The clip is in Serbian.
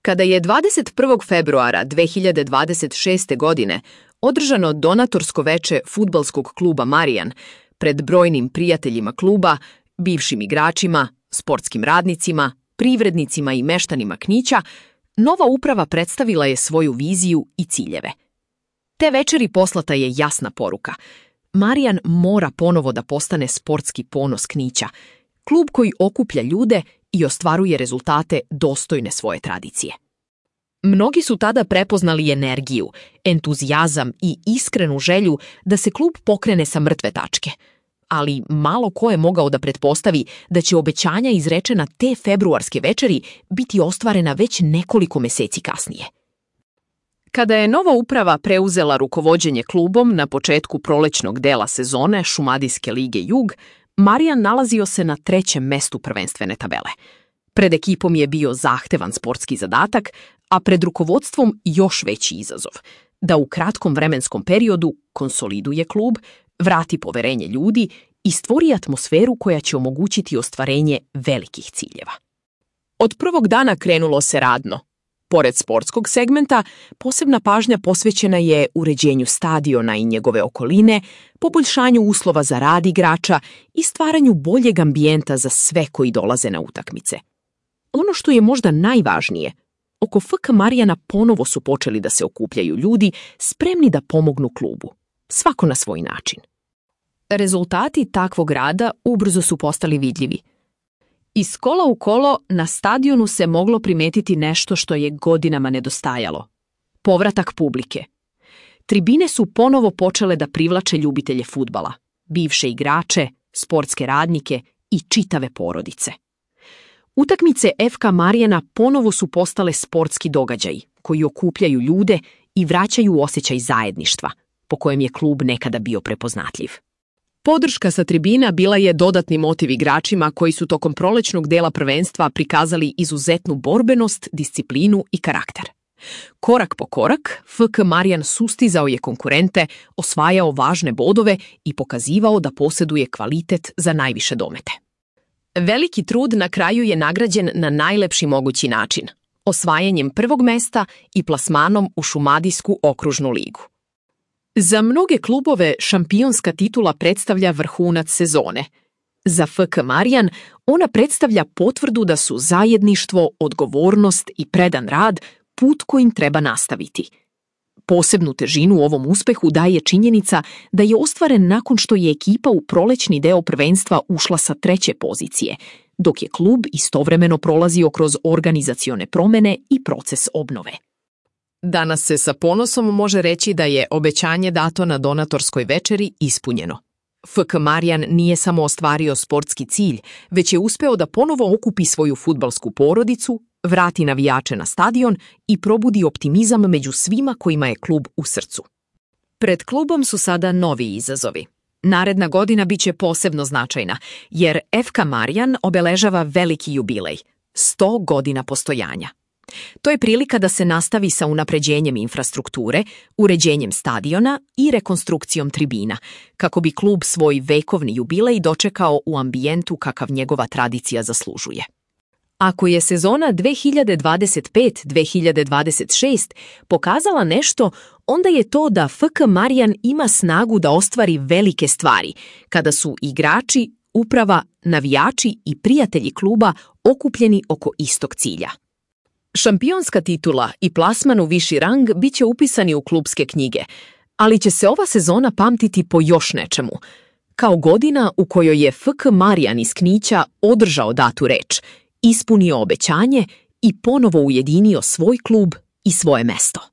Kada je 21. februara 2026. godine održano donatorsko veče fudbalskog kluba Marijan pred brojnim prijateljima kluba, bivšim igračima, sportskim radnicima, privrednicima i meštanima Knića, nova uprava predstavila je svoju viziju i ciljeve. Te večeri poslata je jasna poruka. Marijan mora ponovo da postane sportski ponos Knića, klub koji okuplja ljude i ostvaruje rezultate dostojne svoje tradicije. Mnogi su tada prepoznali energiju, entuzijazam i iskrenu želju da se klub pokrene sa mrtve tačke. Ali malo ko je mogao da pretpostavi da će obećanja izrečena te februarske večeri biti ostvarena već nekoliko meseci kasnije. Kada je nova uprava preuzela rukovođenje klubom na početku prolećnog dela sezone Šumadijske lige Jug, Marijan nalazio se na 3. mestu prvenstvene tabele. Pred ekipom je bio zahtevan sportski zadatak, a pred rukovodstvom još veći izazov, da u kratkom vremenskom periodu konsoliduje klub, vrati poverenje ljudi i stvori atmosferu koja će omogućiti ostvarenje velikih ciljeva. Od prvog dana krenulo se radno. Pored sportskog segmenta, posebna pažnja posvećena je uređenju stadiona i njegove okoline, poboljšanju uslova za rad igrača i stvaranju boljeg ambijenta za sve koji dolaze na utakmice. Ono što je možda najvažnije, oko FK Marijana ponovo su počeli da se okupljaju ljudi spremni da pomognu klubu, svako na svoj način. Rezultati takvog rada ubrzo su postali vidljivi. Iz kola u kolo na stadionu se moglo primetiti nešto što je godinama nedostajalo. Povratak publike. Tribine su ponovo počele da privlače ljubitelje fudbala, bivše igrače, sportske radnike i čitave porodice. Utakmice FK Marijana ponovo su postale sportski događaji koji okupljaju ljude i vraćaju osjećaj zajedništva, po kojem je klub nekada bio prepoznatljiv. Podrška sa tribina bila je dodatni motiv igračima koji su tokom prolećnog dela prvenstva prikazali izuzetnu borbenost, disciplinu i karakter. Korak po korak, FK Marijan sustizao je konkurente, osvajao važne bodove i pokazivao da posjeduje kvalitet za najviše domete. Veliki trud na kraju je nagrađen na najlepši mogući način, osvajanjem prvog mesta i plasmanom u Šumadijsku okružnu ligu. Za mnoge klubove šampionska titula predstavlja vrhunac sezone. Za FK Marijan ona predstavlja potvrdu da su zajedništvo, odgovornost i predan rad put kojim treba nastaviti. Posebnu težinu ovom uspehu daje činjenica da je ostvaren nakon što je ekipa u prolećni deo prvenstva ušla sa 3. pozicije, dok je klub istovremeno prolazio kroz organizacione promene i proces obnove. Danas se sa ponosom može reći da je obećanje dato na donatorskoj večeri ispunjeno. FK Marijan nije samo ostvario sportski cilj, već je uspeo da ponovo okupi svoju fudbalsku porodicu, vrati navijače na stadion i probudi optimizam među svima kojima je klub u srcu. Pred klubom su sada novi izazovi. Naredna godina biće posebno značajna, jer FK Marijan obeležava veliki jubilej, 100 godina postojanja. To je prilika da se nastavi sa unapređenjem infrastrukture, uređenjem stadiona i rekonstrukcijom tribina, kako bi klub svoj vekovni jubilej dočekao u ambijentu kakav njegova tradicija zaslužuje. Ako je sezona 2025-2026 pokazala nešto, onda je to da FK Marijan ima snagu da ostvari velike stvari, kada su igrači, uprava, navijači i prijatelji kluba okupljeni oko istog cilja. Šampionska titula i plasman u viši rang bit će upisani u klubske knjige, ali će se ova sezona pamtiti po još nečemu, kao godina u kojoj je FK Marijan iz Knića održao datu reč, ispunio obećanje i ponovo ujedinio svoj klub i svoje mesto.